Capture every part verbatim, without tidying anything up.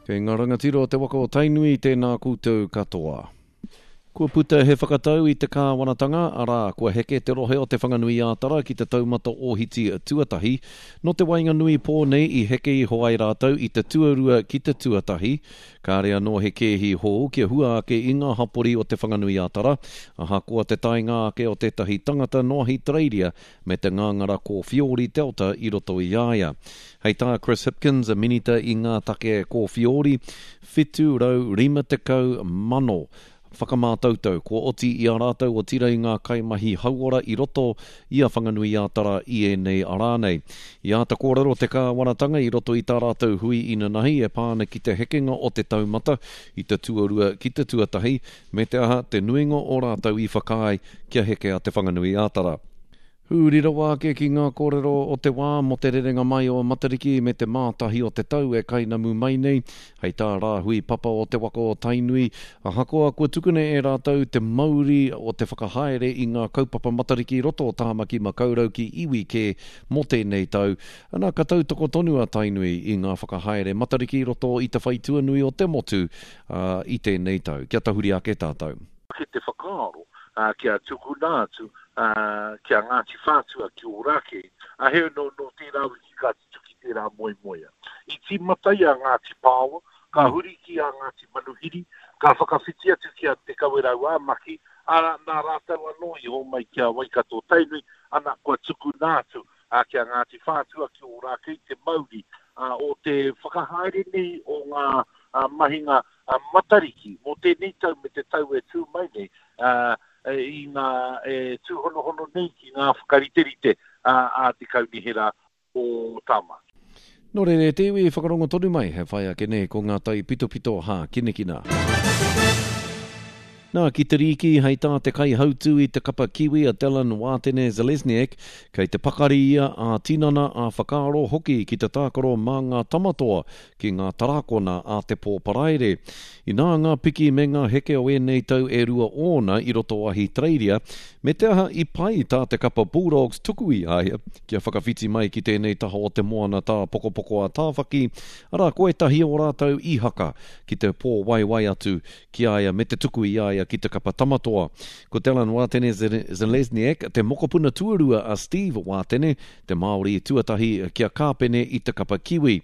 Kei ngā rangatira o te waka o Tainui, tēnā koutou katoa. Kua puta he whakatau i te kāwanatanga, arā, kua heke te rohe o Te Whanganui-ā-Tara ki te taumata ōhiti tuatahi. Nō te waenganui pō nei i heke iho ai rātou i te tuarua ki te tuatahi. Kāre anō he kēhi hou kia hua ake i ngā hapori o Te Whanganui-ā-Tara, ahakoa te taenga ake o tētahi tangata nō Ahitereiria me te ngāngara kōwhiori Delta i roto i a ia. Hei tā Chris Hipkins, Minita i ngā take kōwhiori, whitu rau rima tekau mano whakamātautau kua oti i a rātou otira i ngā kaimahi hauora i roto i a Whanganui-ā-Tara i ēnei arā nei. I āta kōrero te kāwanatanga i roto i tā rātou hui inanahi e pā ana ki te hekenga o te taumata i te tuarua ki te tuatahi, me te aha te nuinga o rātou i whakaae kia heke a Te Whanganui-ā-Tara. Huri rawa ake ki ngā kōrero o te wā mō te rerenga mai o Matariki me te mātahi o te tau e kainamu mai nei, hei tā Rāhui Papa o te waka o Tainui, ahakoa kua tukuna e rātou te mauri o te whakahaere i ngā kaupapa Matariki i roto o Tāmaki Makaurau ki iwi kē mō tēnei tau, ana ka tautoko tonu a Tainui i ngā whakahaere Matariki i roto i te whaitua nui o te motu, ā, i tēnei tau. Kia tahuri ake tātou. Ki te whakaaro kia tukuna atu ki a Ngāti Whātua ki Ōrākei, ā, heoi nō, nō tērā wiki ka tutuki tērā moemoea. I tīmata i a Ngāti Pāoa, ka huri ki a Ngāti Manuhiri, ka whakawhiti atu ki a Te Kawerau ā Maki, ā, nā rātou anō i hōmai ki a Waikato Tainui, ana, kua tukuna atu ki a Ngāti Whātua ki Ōrākei te mauri o te whakahaere nei o ngā mahinga Matariki mō tēnei tau me te tau e tū mai nei, i ngā e tūhonohono nei ki ngā whakariterite a te Kaunihera o Tāmaki. Nō reira e te iwi, whakarongo tonu mai, he whai ake nei ko ngā taipitopito hākinakina. Nā, ki te rīki, hei tā te kaihautū i te kapa Kiwi a Dallin Wātene Zelezniak, kei te pakari ia ā-tinana, ā-whakaaro hoki ki te tākaro mā ngā tamatoa ki ngā tarakona a te pō Paraire. Inā ngā piki me ngā heke o ēnei tau e rua ōna i roto o Ahitereiria, me te aha i pai tā te kapa Bulldogs tuku i a ia kia whakawhiti mai ki tēnei taha o te moana tāpokopoko a Tāwhaki, arā ko ētahi o rātou i haka ki te pōwaiwai atu ki a ia me te tuku i a ia ki te kapa tamatoa. Ko Dallin Wātene Zelezniak te mokopuna tuarua a Steve Wātene, te Māori tuatahi kia kāpene i te kapa Kiwi.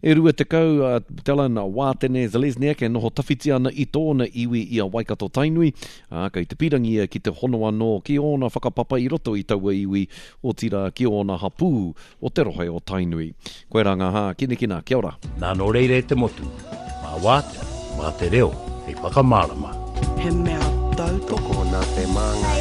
E rua tekau a Dallin Wātene Zelezniak e noho tawhiti ana i tōna iwi i a Waikato Tainui, ā, kei te pīrangi ia ki te hono anō ki ōna whakapapa i roto i taua iwi, otirā ki ōna hapū o te rohe o Tainui. Koirā ngā hākinakina, kia ora. Nā nō reira e te motu, mā Wātea, mā te reo hei whakamārama. He mea tautoko Tokona te māngai.